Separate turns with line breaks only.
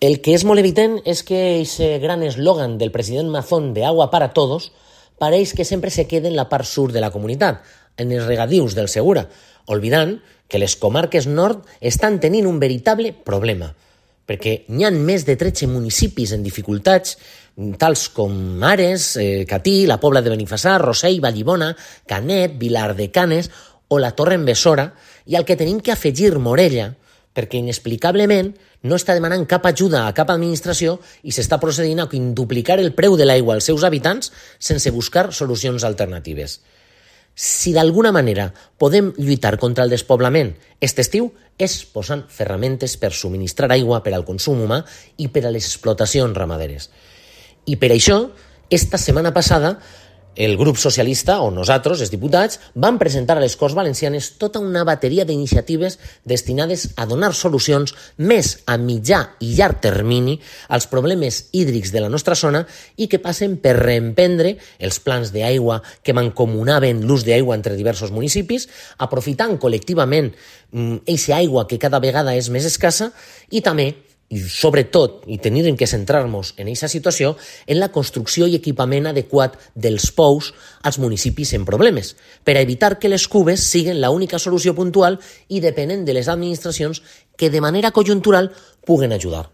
El que és molt evident és que aquest gran eslògan del president Mazón de agua para todos pareix que sempre se queda en la part sud de la comunitat, en els regadius del Segura, oblidant que les comarques nord estan tenint un veritable problema, perquè n'hi ha més de 13 municipis en dificultats, tals com Ares, Catí, la Pobla de Benifassà, Rossell, Vallibona, Canet, Vilar de Canes o la Torre en Besora, i al que tenim que afegir Morella, perquè inexplicablement no està demanant cap ajuda a cap administració i s'està procedint a quintuplicar el preu de l'aigua als seus habitants sense buscar solucions alternatives. Si d'alguna manera podem lluitar contra el despoblament aquest estiu és posant ferramentes per subministrar aigua per al consum humà i per a les explotacions ramaderes. I per això, esta setmana passada, el grup socialista, o nosaltres, els diputats, vam presentar a les Corts Valencianes tota una bateria d'iniciatives destinades a donar solucions més a mitjà i llarg termini als problemes hídrics de la nostra zona i que passen per reemprendre els plans d'aigua que mancomunaven l'ús d'aigua entre diversos municipis, aprofitant col·lectivament aquesta aigua que cada vegada és més escassa i també, i sobretot, i tenim que centrar-nos en aquesta situació, en la construcció i equipament adequat dels pous als municipis en problemes, per a evitar que les cubes siguin l'única solució puntual i depenent de les administracions que de manera conjuntural puguen ajudar.